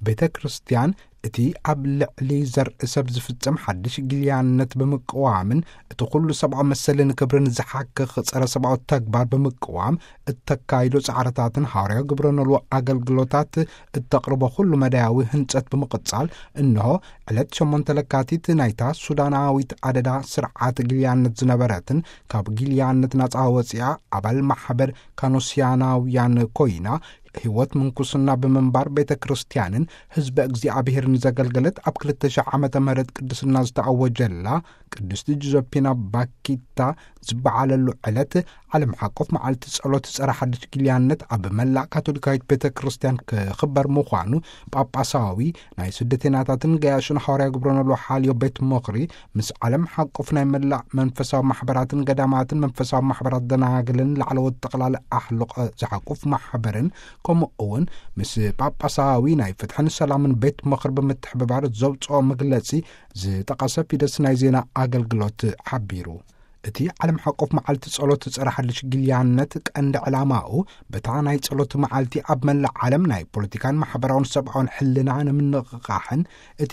ቤተ ክርስቲያን እቲ ኣብ ልዕሊ ዘርኢ ሰብ ዝፍጸም ሓድሽ ግልያነት ብምቅዋምን እቲ ኩሉ ሰብኣዊ መሰልን ክብርን ዝሓክኽ ጸረ ሰብኣዊ ተግባር ብምቅዋም እተካይዶ ጻዕርታትን ሃዋርያዊ ግብረ ኖልዎ ኣገልግሎታት እተቕርቦ ኩሉ መዳያዊ ህንጸት ብምቕጻል፣ እንሆ ዕለት ሸሞንተ ለካቲት ናይታ ሱዳናዊት ኣደዳ ስርዓት ግልያነት ዝነበረትን ካብ ግልያነት ናጻ ወጺኣ ኣባል ማሕበር ካኖስያናውያን ኮይና ህይወት ምንኩስና ብምንባር ቤተ ክርስቲያንን ህዝበ እግዚኣብሔርን ዘገልገለት ኣብ ክልተ ሺሕ ዓመተ ምህረት ቅድስና ዝተኣወጀላ ቅድስቲ ጆዘፊና ባኪታ ዝበዓለሉ ዕለት ዓለም ሓቆፍ መዓልቲ ጸሎት ጸረ ሓድሽ ግልያነት ኣብ መላእ ካቶሊካዊት ቤተ ክርስቲያን ክኽበር ምዃኑ ጳጳሳዊ ናይ ስደተኛታትን ገያሹን ሃዋርያ ግብረ ኖልዎ ሓልዮ ቤት ምኽሪ ምስ ዓለም ሓቆፍ ናይ መላእ መንፈሳዊ ማሕበራትን ገዳማትን መንፈሳዊ ማሕበራት ደናግልን ላዕለዎት ጠቕላሊ ኣሕልቆ ዝሓቁፍ ማሕበርን ከምኡ እውን ምስ ጳጳሳዊ ናይ ፍትሕን ሰላምን ቤት ምኽሪ ብምትሕብባር ዘውፅኦ መግለፂ ዝጠቐሰ ፊደስ ናይ ዜና ኣገልግሎት ሓቢሩ። እቲ ዓለም ሓቆፍ መዓልቲ ጸሎት ጸረ ሓድሽ ግልያነት ቀንዲ ዕላማኡ በታ ናይ ጸሎት መዓልቲ ኣብ መላእ ዓለም ናይ ፖለቲካን ማሕበራውን ሰብኣውን ሕልና ንምንቕቓሕን እቲ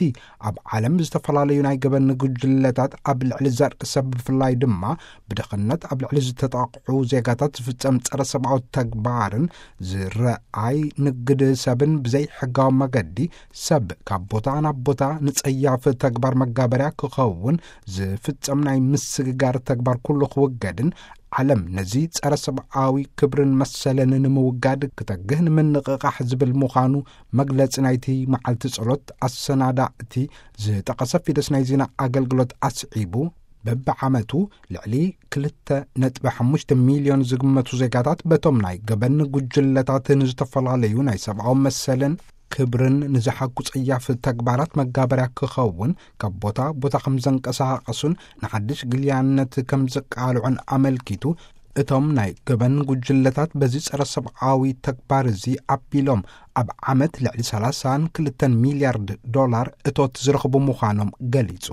ኣብ ዓለም ዝተፈላለዩ ናይ ገበን ጉጅለታት ኣብ ልዕሊ ዘርኢ ሰብ ብፍላይ ድማ ብድኽነት ኣብ ልዕሊ ዝተጠቕዑ ዜጋታት ዝፍጸም ጸረ ሰብኣዊ ተግባርን ዝረኣይ ንግድ ሰብን ብዘይ ሕጋዊ መገዲ ሰብ ካብ ቦታ ናብ ቦታ ንጸያፍ ተግባር መጋበርያ ክኸውን ዝፍጸም ናይ ምስግጋር ተግባር ኩሉ ክውገድን ዓለም ነዚ ጸረ ሰብኣዊ ክብርን መሰልን ንምውጋድ ክተግህ ንምንቕቓሕ ዝብል ምዃኑ መግለጺ ናይቲ መዓልቲ ጸሎት ኣሰናዳእቲ ዝጠቐሰ ፊደስ ናይ ዜና ኣገልግሎት ኣስዒቡ፣ በብዓመቱ ልዕሊ ክልተ ነጥቢ ሓሙሽተ ሚልዮን ዝግመቱ ዜጋታት በቶም ናይ ገበን ጉጅለታት ንዝተፈላለዩ ናይ ሰብኣዊ መሰልን ክብርን ንዝሓኩ ጸያፍ ተግባራት መጋበርያ ክኸውን ካብ ቦታ ቦታ ከም ዘንቀሳቐሱን ንሓድሽ ግልያነት ከም ዘቃልዑን ኣመልኪቱ፣ እቶም ናይ ገበን ጉጅለታት በዚ ጸረ ሰብኣዊ ተግባር እዚ ኣቢሎም ኣብ ዓመት ልዕሊ ሰላሳን ክልተን ሚልያርድ ዶላር እቶት ዝረኽቡ ምዃኖም ገሊጹ።